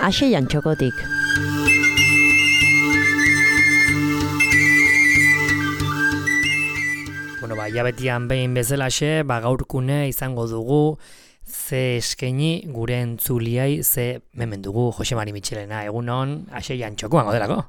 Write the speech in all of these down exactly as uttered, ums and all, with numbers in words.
Aseian txokotik. Bueno, ba, jabetian behin bezalaxe, ba, gaurkune izango dugu, ze eskaini gure entzuliai, ze memen dugu Jose Mari Mitxelena, egunon, aseian txokoan godelako.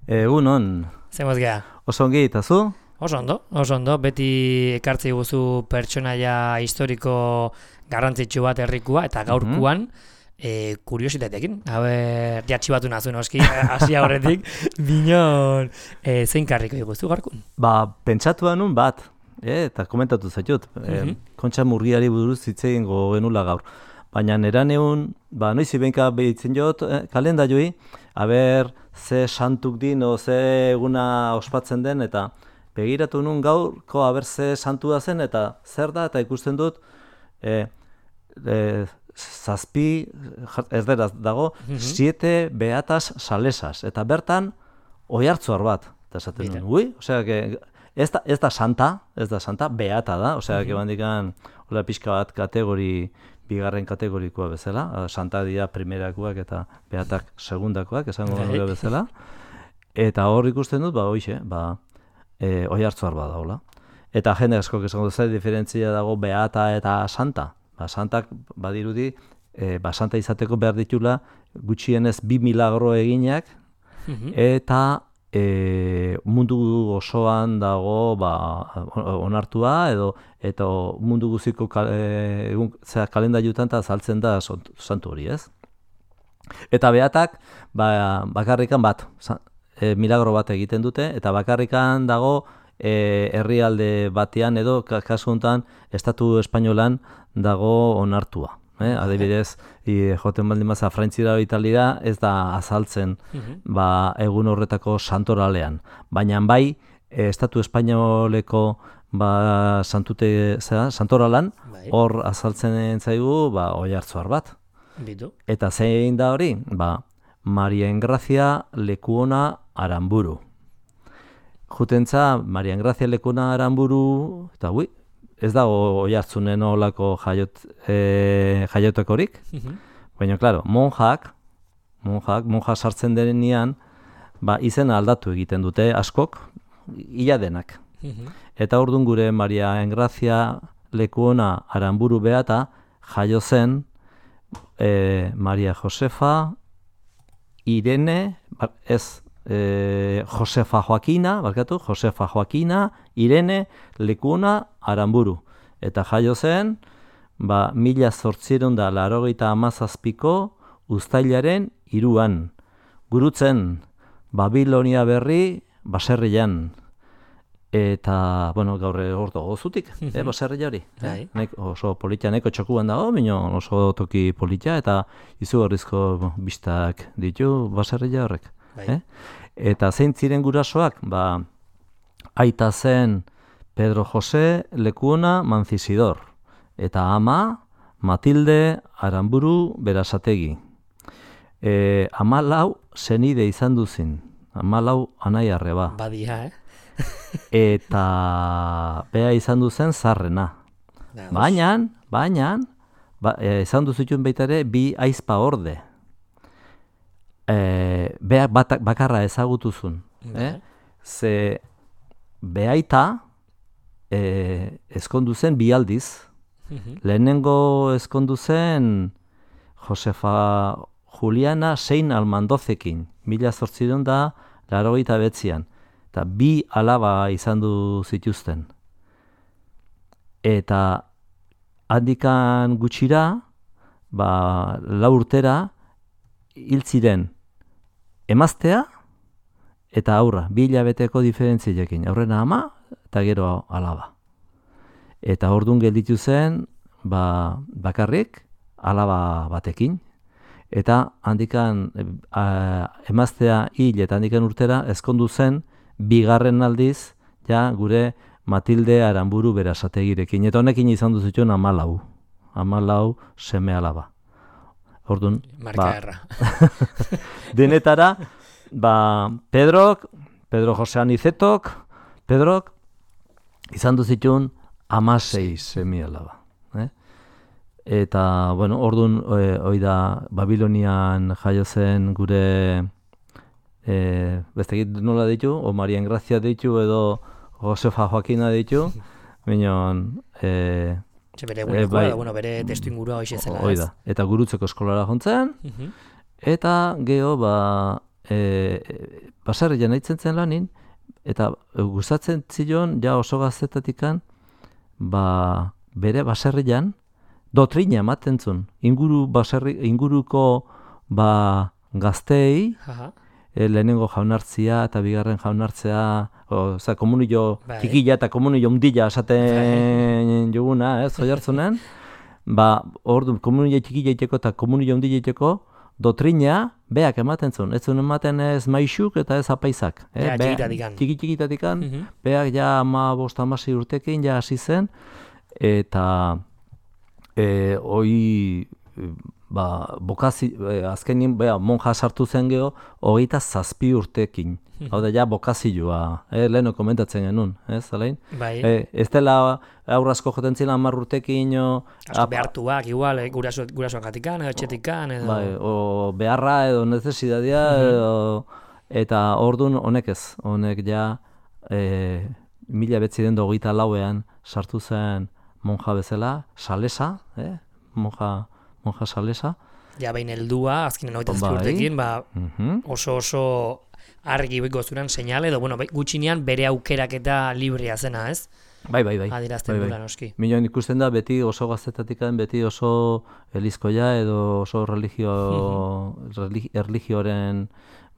Egunon. Ze mozgea? Oso ongi, eta zu? Oso ondo, oso ondo, beti ekartzi guzu pertsonaia historiko garrantzitsu bat herrikua, eta gaurkuan, mm-hmm. e, kuriositatekin, haber, jatxibatu nazu noski, hasia horretik, binon, e, zein karriko iguzu gaurkun? Ba, pentsatu nun bat, e, eta komentatu zaitut, Mm-hmm. e, Kontxa Murgiari buruz hitz egingo genula gaur. Baina nera neun, ba, noiz ibenka behitzen jot, eh, kalenda joi, haber, ze santuk din, o ze eguna ospatzen den, eta begiratu nun gaurko haber ze santua zen, eta zer da, eta ikusten dut, e, e, zazpi, erderaz dago, mm-hmm. siete beatas salesas, eta bertan oihartzuar bat, eta esaten nun, ui, osea, que, ez da, ez da santa, ez da santa, beata da, osea, mm-hmm. que bandikan, hola pixka bat kategori, bigarren kategorikoa bezala, santa dira primerakoak eta beatak segundakoak, esango nuke bezala, eta hor ikusten dut, ba, hoixe, ba, e, oihartzuar bat daula. Eta jende askok esango dut, zer diferentzia dago beata eta santa. Ba, santak badirudi, e, ba, santa izateko behar ditula gutxienez bi milagro eginak, mm-hmm. eta e, mundu osoan dago ba, onartua, edo eta mundu guziko kal, e, kalendaiutan eta azaltzen da santu hori, ez? Eta beatak ba, bakarrikan bat, e, milagro bat egiten dute, eta bakarrikan dago e, herrialde batean edo kasu honetan estatu espainolan dago onartua. Eh? Adibidez, i, joten baldin maza Frantzira Italira ez da azaltzen mm-hmm. ba, egun horretako santoralean. Baina bai, e, estatu espainoleko ba, santute, zera, santoralan, hor azaltzen zaigu ba, oihartzuar bat. Bitu. Eta zein da hori? Ba, Maria Engrazia Lekuona Aramburu. Jutentza, Maria Engrazia Lekuona Aramburu, eta hui, ez dago oihartzunen olako jaiot, e, jaiotekorik, mm-hmm. baina, klaro, monjak, monjak, monja sartzen denean, ba, izena aldatu egiten dute askok, ia denak. Mm-hmm. Eta orduan gure Maria Engrazia Lekuona Aramburu beata jaio zen e, Maria Josefa Irene, ez, e, Josefa Joakina, barkatu, Josefa Joakina Irene Lekuona Aramburu. Eta jaio zen, ba, mila zortziehun da laurogeita hamazazpiko uztailaren hiruan. Gurutzen, Babilonia berri baserrian. Eta, bueno, gaur ordo gozutik, eh, baserria hori. Eh? Nek, oso politia, neko txokuan dago, bino oso toki politia, eta izugarrizko bistak ditu baserria horrek. Eh? Eta zein ziren gurasoak, ba, aita zen Pedro José Lekuona Mancisidor, eta ama Matilde Aramburu Berasategi. E, ama lau zenide izan duzin, ama lau anai arreba. Badia, eh? Eta bea izan duzen zarrena. Baina, baina, ba, e, izan duzituen baita ere bi aizpa orde. E, bea batak, bakarra ezagutuzun. Eh? Ze beaita e, ezkondu zen bi aldiz. Mm-hmm. Lehenengo ezkondu zen Josefa Juliana Sein Almandozekin, mila zortziehun da laurogeita behatzian. Eta bi alaba izan du zituzten. Eta handikan gutxira, ba, lau urtera, hil ziren emaztea eta aurra, bi hilabeteko diferentziekin. Aurrena ama eta gero alaba. Eta orduan gelditu zen, ba, bakarrik, alaba batekin. Eta handikan a, emaztea hil eta handikan urtera ezkondu zen, bigarren aldiz, ja, gure Matilde Aramburu Berasategirekin. Eta honekin izan duzituen amalau. Amalau seme alaba. Orduan, marka erra. Denetara, ba, Pedrok, Pedro Jose Anizetok, Pedrok, izan duzituen amasei seme alaba. Eh? Eta, bueno, orduan, e, hoi da, Babilonian jaio zen gure, e, bestekit nola ditu, o Marian Grazia ditu, edo Josefa Joakina ditu, minon, e, Ze bere egunekoa, bai, bueno, bere testu ingurua hoxe zela, ez? Hoi da, eta gurutzeko eskolara jontzen, Uh-huh. eta geho, ba, e, baserrian nahitzen zen lanin, eta gustatzen zion, ja oso gaztetatikan, ba, bere baserrian, dotrina ematen zuen, inguru baserri, inguruko ba, gazteei, Aha. e, lehenengo jaunartzia eta bigarren jaunartzea, oza, komunio Bai. txikila eta komunio undila esaten juguna, ez, oihartzunen, ba, ordu, komunio txikila iteko eta komunio undila iteko, dotrina beak ematen zuen, ez zuen ematen ez maixuk eta ez apaisak. Eh? Ja, txikitatikan. Txiki-txikitatikan, Mhm. beak ja ama bost amasi urtekin ja hasi zen, eta e, hoi, ba, bokazi, e, azkenin, bea, monja sartu zen geho, hogeita zazpi urtekin. Hau da, ja, bokazioa, eh, leheno komentatzen genuen, ez, alain? Bai. E, ez dela aurrazko joten zila hamar urtekin, o, Asko behartuak, igual, eh, guraso, gurasoak gatikan, edo etxetikan, edo... bai, o beharra edo nezesidadia, edo, eta ordun honek ez, honek ja e, mila betziden hogeita lauean sartu zen monja bezala, salesa, eh? monja, monja salesa. Ja, behin heldua, azkenen hogeita zazpi Bai. urtekin, ba, Mhm. oso oso argi biko zuran seinale, edo, bueno, bai, gutxinean bere aukerak eta librea zena, ez? Bai, bai, bai. Adierazten bai, dula, bai. noski. Minon ikusten da beti oso gaztetatikan, beti oso elizkoia edo oso religio, religi, erligioaren,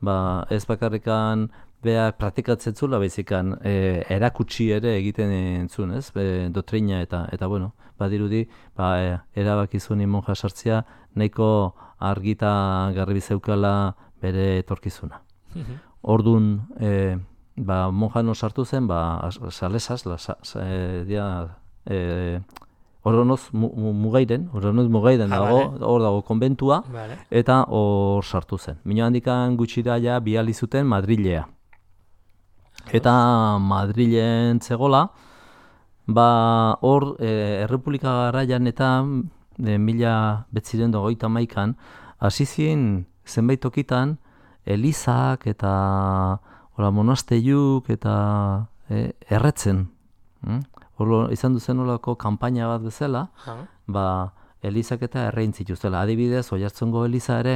ba, ez bakarrikan beak praktikatzen zula, baizikan e, erakutsi ere egiten zuen, ez? Be, dotrina eta, eta bueno, badirudi, ba, e, erabaki zuen monja sartzea, nahiko argita garbi zeukala bere etorkizuna. Ordun, e, ba, monjano sartu zen, ba, salesaz, la, sa, sa, e, dia, e, Oronoz mu, mu, mugairen, Oronoz mugairen Ah, dago, vale. hor dago konbentua, Vale. eta hor sartu zen. Mino handikan gutxira ja bihali zuten Madrilea. Eta Madrilen zegola, ba, hor e, Errepublika garaian eta e, mila betzirendo goita maikan, hasi ziren zenbait tokitan, elizak eta hola, monasteiuk eta e, erretzen. Mm? Hor izan duzen olako kanpaina bat bezala, Aha. ba, elizak eta errein zituztela. Adibidez, Oiartzungo eliza ere,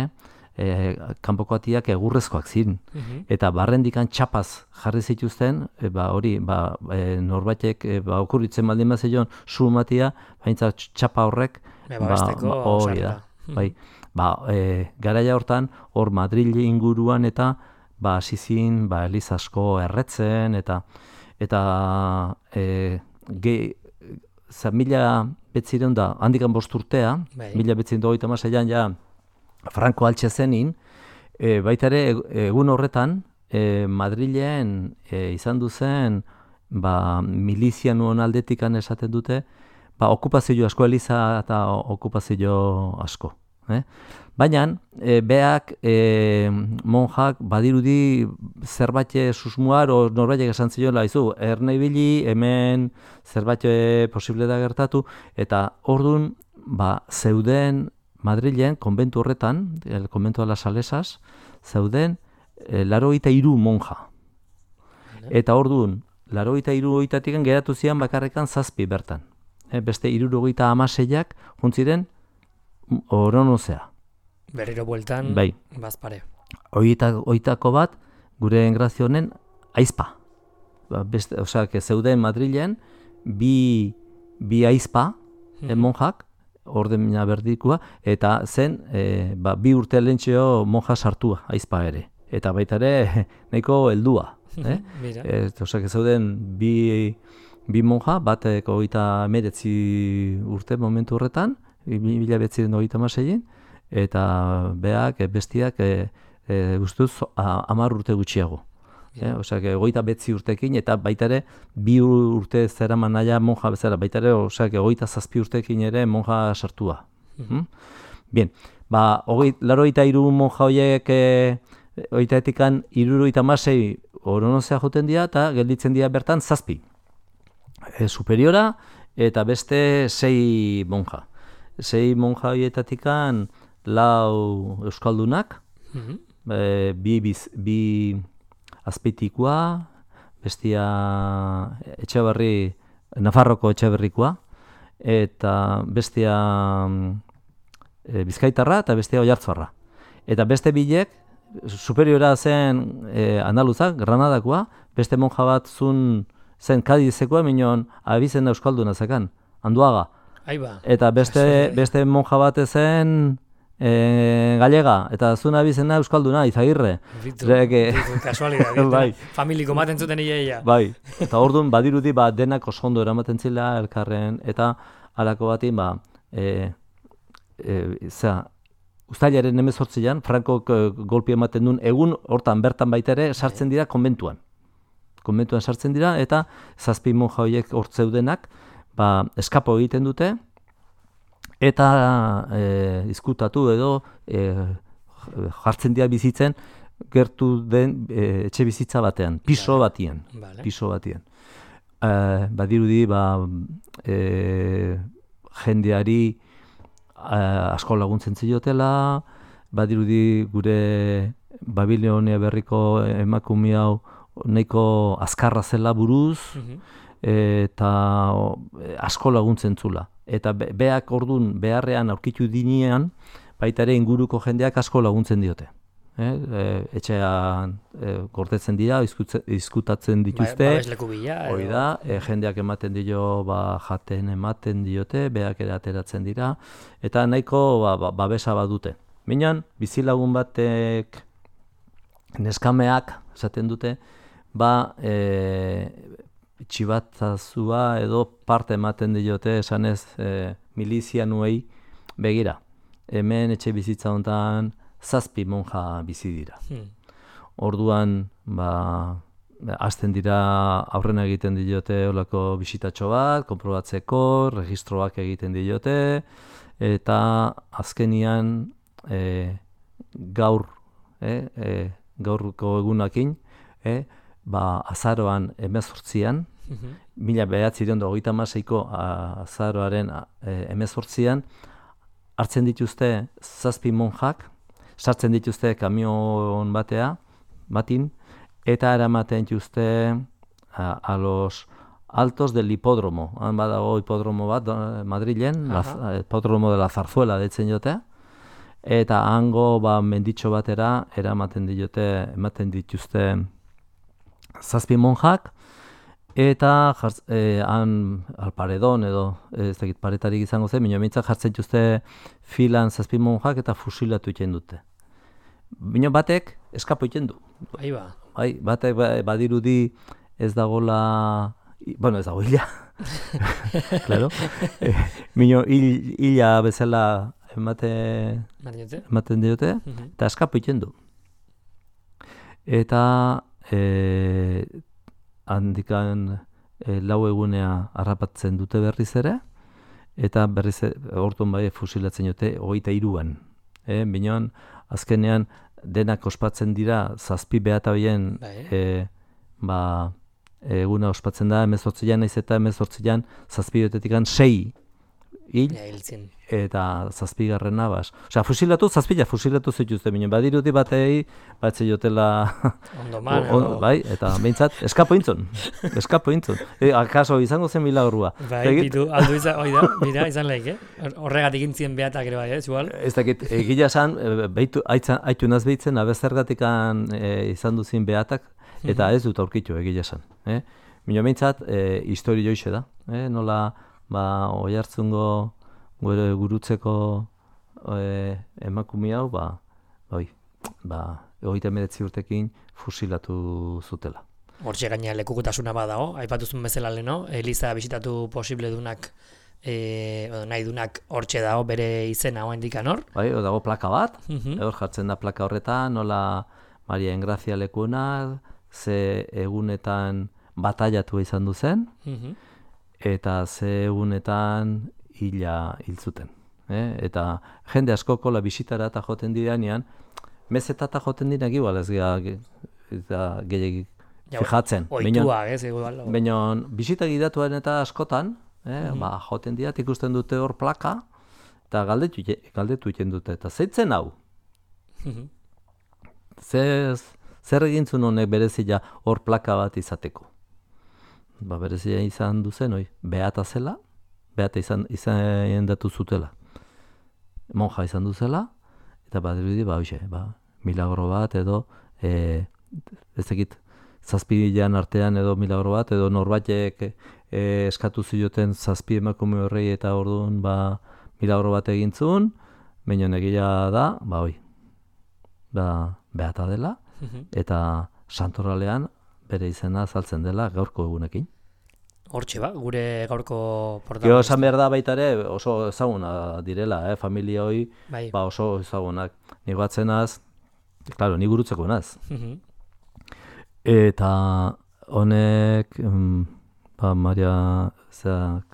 e, kanpoko atiak egurrezkoak ziren. Mhm. Eta barrendikan txapaz jarri zituzten, e, ba, hori, ba, e, norbaitek e, ba, okurritzen baldin bat zeion su matia, baintza txapa horrek, Be, babesteko hori da. sarrera. Bai, ba, e, garaia hortan, hor Madril inguruan eta ba, hasi ziren, ba, eliz asko erretzen, eta eta e, ge, za, mila betzireun da, handikan bost urtea, Bai. mila betzireun da hogeita hamaseian ja Franco altxe zenin, e, baita ere e- egun horretan e, Madrilen e, izan duzen ba, milizianuen aldetikan esaten dute, ba, okupazio asko, eliza eta okupazio asko. Eh? Baina, e, beak, e, monjak, badirudi zerbait susmuar, o norbaitek esan zioela, izu, erne ibili, hemen zerbait posible da gertatu, eta ordun ba, zeuden Madrilen, konbentu horretan, el konbentu de las Salesas, zeuden e, laurogeita hiru monja. Eta orduan, laurogeita hiru horietatik geratu zian bakarrekan zazpi bertan. E, beste hirurogeita hamaseiak juntziren Oronozea. Berriro bueltan, Bai. bazpare. Horietako hoitako bat, gure engrazio honen, aizpa. Ba, beste, osea, que zeuden Madrilen, bi, bi aizpa, mm monjak, ordena berdikua, eta zen, e, ba, bi urte lehentxeo monja sartua, aizpa ere. Eta baita ere, nahiko heldua. Eh? Mira. E, osea, que zeuden bi, bi monja, batek hogeita emeretzi urte momentu horretan, mila betziden hogeita hamaseien, eta beak, e, bestiak, e, e, ustuz, hamar urte gutxiago. Eh? Osea, hogeita betzi urtekin, eta baita ere, bi urte zeraman naia monja bezala, baita ere, osea, hogeita zazpi urtekin ere monja sartua. Mm? Bien, ba, laurogeita hiru monja horiek, e, hogeita etikan, hirurogeita hamasei Oronozea joten dira, eta gelditzen dira bertan zazpi. E, superiora, eta beste sei monja. sei monja horietatikan lau euskaldunak, Mhm. e, bi, biz, bi azpeitikoa, bestia Etxeberri, Nafarroko Etxeberrikoa, eta bestia e, Bizkaitarra eta bestia Oiartzunarra. Eta beste bilek, superiora zen e, andaluzak, Granadakoa, beste monja bat zun zen Kadizekoa, minon abizen euskalduna zekan, Anduaga. Aiba. Eta beste, beste monja bat zen e, Gallega, eta zun abizena euskalduna, Izagirre. Bitu, Zereke- bitu, kasualidad. Bai. Familiko maten zuten ia. Bai, eta orduan badirudi ba, denak oso ondo eramaten zila elkarren, eta halako batin, ba, e, e, zera, Uztailaren hemezortzian, Frankok e, golpi ematen duen, egun hortan bertan baita ere sartzen dira konbentuan. Konbentuan sartzen dira, eta zazpi monja horiek hor zeudenak, ba, eskapo egiten dute, eta e, izkutatu edo e, jartzen dira bizitzen, gertu den e, etxe bizitza batean, piso batien, Vale. piso batien. E, badirudi, ba, e, jendeari e, asko laguntzen ziotela, badirudi gure Babilonia berriko emakume hau nahiko azkarra zela buruz, Mhm. eta o, asko laguntzen zula. Eta be, beak ordun beharrean aurkitu dinean, baita ere inguruko jendeak asko laguntzen diote. Eh? E, etxean e, gordetzen dira, izkutze- izkutatzen dituzte, Ba, babesleku bila. edo- hori da, e, jendeak ematen dio, ba, jaten ematen diote, beak ere ateratzen dira, eta nahiko ba, ba, babesa badute. Minan, bizilagun batek neskameak, esaten dute, ba, e, txibatzazua edo parte ematen diote, esanez, e, milizianuei begira. Hemen etxe bizitza honetan zazpi monja bizi dira. Hmm. Orduan, ba, hasten dira aurrena egiten diote olako bisitatxo bat, konprobatzeko, registroak egiten diote, eta azkenian e, gaur, e, e, gaurko egunakin, e, ba, azaroan hemezortzian, Mhm. mila bederatziehun eta hogeita hamaseiko azaroaren e, hemezortzian, hartzen dituzte zazpi monjak, sartzen dituzte kamion batea, batin, eta eramaten dituzte a, a los altos del hipódromo. Han badago hipódromo bat do- Madrilen, la, Aha. hipódromo de la Zarzuela deitzen jote, eta hango ba, menditxo batera eramaten diote, ematen dituzte zazpi monjak, eta jartz, eh, han alparedon edo ez dakit paretarik izango zen, bino mintzak jartzen dituzte filan zazpi monjak eta fusilatu egiten dute. Bino batek eskapo egiten du. Aiba. Bai, batek ba- badirudi ez dagola, i- bueno, ez dago hila. Claro. Eh, Bino hil, hila bezala emate, Mariote? ematen diote, Mhm. eta eskapo egiten du. Eta e, handikan e, lau egunea harrapatzen dute berriz ere, eta berriz e- orduan bai fusilatzen dute hogeita hiruan. E, Binoan, azkenean denak ospatzen dira zazpi behatabien Bai. e, ba, eguna ospatzen da hemezortzian, naiz eta hemezortzian zazpi betetikan sei hil, Ja, hiltzen. eta zazpigarrena bas. Osea, fusilatu, zazpila fusilatu zituzte, binen badirudi batei, batze jotela, Ondo man, o- edo- bai, eta behintzat, eskapo intzon, eskapo intzon. E, akaso izango zen milagrua. Bai, Egit- bitu, aldu izan, hoi da, mira, izan lehik, eh? Horregatik intzien behatak ere bai, ez, igual? Ez dakit, egia esan, e, behitu, aitzan, aitu naz behitzen, abezergatikan e, izan duzin behatak, eta ez dut aurkitu egia esan. Eh? Mino behintzat, e, histori joixe da. Eh? Nola, ba, Oiartzungo gure gurutzeko e, emakume hau, ba, bai, ba, hogeita hemeretzi urtekin fusilatu zutela. Hortxe gaina lekukotasuna badago, aipatuzun bezala leno, Eliza bisitatu posible dunak, e, edo nahi dunak hortxe dago bere izena hoa indikan hor. Bai, hor dago plaka bat, Mhm. hor jartzen da plaka horretan, nola Maria Engrazia lekuena, ze egunetan bataiatu izan du zen, Mhm. eta ze egunetan hila hil zuten. Eh? Eta jende askoko la bisitara eta joten direnean, mezetata joten direnak igual ez gea ge- eta gehiagik Ja, fijatzen. Oituak, ez, igual. Baina bisita gidatuan eta askotan, eh, ba, joten dira, ikusten dute hor plaka, eta galdetu, galdetu iten dute, eta zeitzen hau? Zer, zer egintzun honek berezia hor plaka bat izateko? Ba, berezia izan duzen, oi, beata zela, beata izan, izan datu zutela. Monja izan duzela, eta bat dirudi, ba, oixe, ba, milagro bat edo, e, ez dakit, zazpilan artean edo milagro bat, edo norbaitek e, eskatu zioten zazpi emakume horrei eta orduan, ba, milagro bat egintzun, baina egia da, ba, oi, da, beata dela, eta santoralean bere izena azaltzen dela gaurko egunekin. Hortxe ba, gure gaurko protagonista. Gero esan behar da baita ere oso ezaguna direla, eh? Familia hoi bai. Ba oso ezagunak. Ni batzenaz, claro, ni gurutzeko naz. Eta honek, mm, ba, Maria, zeak,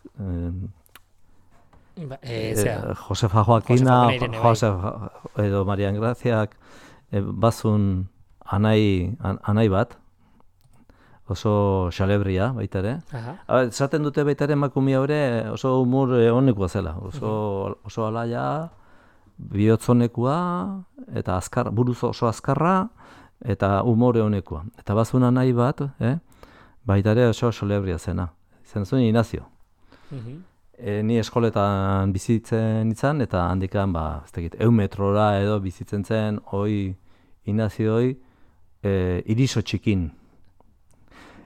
ba, e, zera, Josefa Joaquina, Josefa bai. Edo Maria Graziak, e, bazun anai, an, anai bat, oso xalebria baita ere. Esaten dute baita ere emakumea hori oso humor honekoa zela, oso, oso alaia, bihotzonekua, eta azkar, buruz oso azkarra, eta umore honekoa. Eta bazuna nahi bat, eh? baita ere oso xalebria zena. Zen zuen Inazio. E, ni eskoletan bizitzen izan, eta handikan, ba, ez dakit, eun metrora edo bizitzen zen, hoi, Inazio hoi, e, iriso txikin.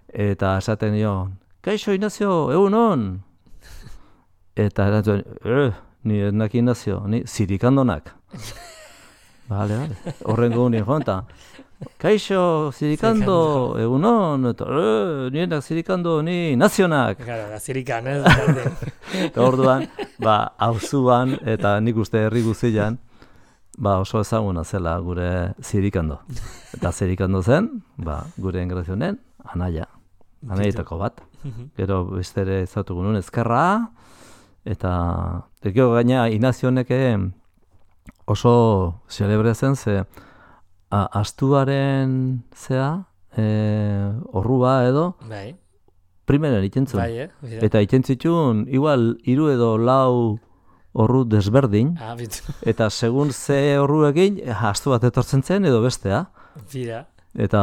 Eta esaten dio, kaixo Inazio, egun hon! Eta erantzuen, eh, ni enak Inazio, ni zirikandonak. Bale, bale, horrengo nien jonta. Kaixo, zirikando, egun hon, eta eh, ni enak zirikando, ni nazionak. Gara, da zirikan, ez? Eta orduan, ba, hauzuan, eta nik uste herri guzian, ba, oso ezaguna zela gure zirikando. Eta zirikando zen, ba, gure engrazionen, anaia. Anaietako bat. Gero beste ere ezautugu nuen ezkerra, eta gero gaina Inazio honek oso xelebrea zen, ze a, astuaren zea, e, orrua edo, bai. Primeren itentzun. Bai, eh? Eta itentzitun, igual, hiru edo lau orru desberdin, ah, eta segun ze orru egin, astu bat etortzen zen edo bestea. Bira. Eta,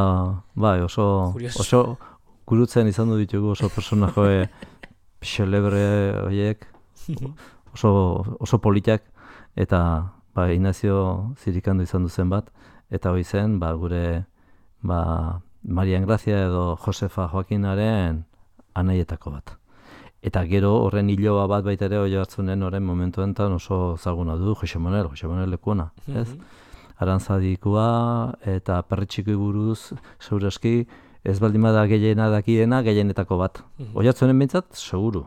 bai, oso, Curioso. oso gurutzen izan du ditugu oso personaje xelebre horiek, oso, oso politak, eta ba, Inazio zirikandu izan duzen bat, eta hori zen, ba, gure ba, Maria Grazia edo Josefa Joaquinaren anaietako bat. Eta gero horren hiloa bat baita ere hori hartzunen horren momentu enten oso zaguna du, Jose Manuel, Jose Manuel lekuona, ez? Arantzadikoa eta perretxikoi buruz, segurazki, ez baldin bada gehiena dakiena, gehienetako bat. Oihartzunen bintzat, seguru.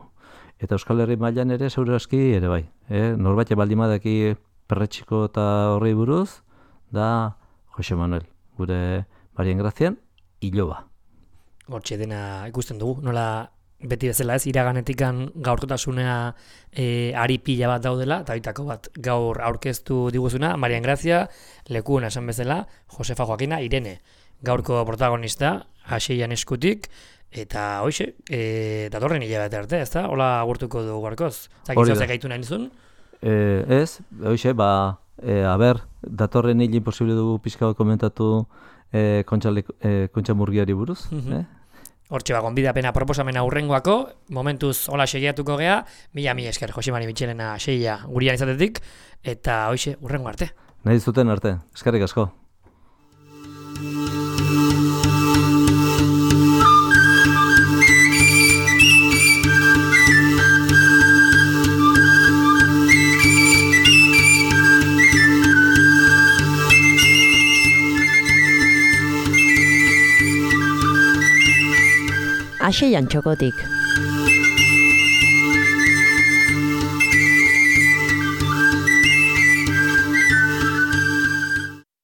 Eta Euskal Herri mailan ere, segurazki, ere bai. Eh? Norbait baldin badaki perretxiko eta horri buruz, da Jose Manuel, gure Marien Grazian, hiloba. Hortxe dena ikusten dugu, nola beti bezala ez, iraganetikan gaurkotasunea e, ari pila bat daudela, eta bitako bat gaur aurkeztu diguzuna, Marien Grazia, lekuona esan bezala, Josefa Joaquina, Irene, gaurko protagonista, haseian eskutik, eta hoxe, e, datorren hilabete arte, ez da? Hola agurtuko du gaurkoz. Zakitzu gaitu nahi nizun? E, ez, hoxe, ba, e, aber, datorren hil imposible dugu pixka bat komentatu e, kontxa, e, kontxa murgiari buruz, uh-huh. eh? Hortxe ba, gonbidapena proposamena hurrengoako, momentuz hola segiatuko gea, mila mi esker, Jose Mari Mitxelena segia gurian izatetik, eta hoxe, hurrengo arte. Nahi zuten arte, eskerrik asko. Haseian txokotik.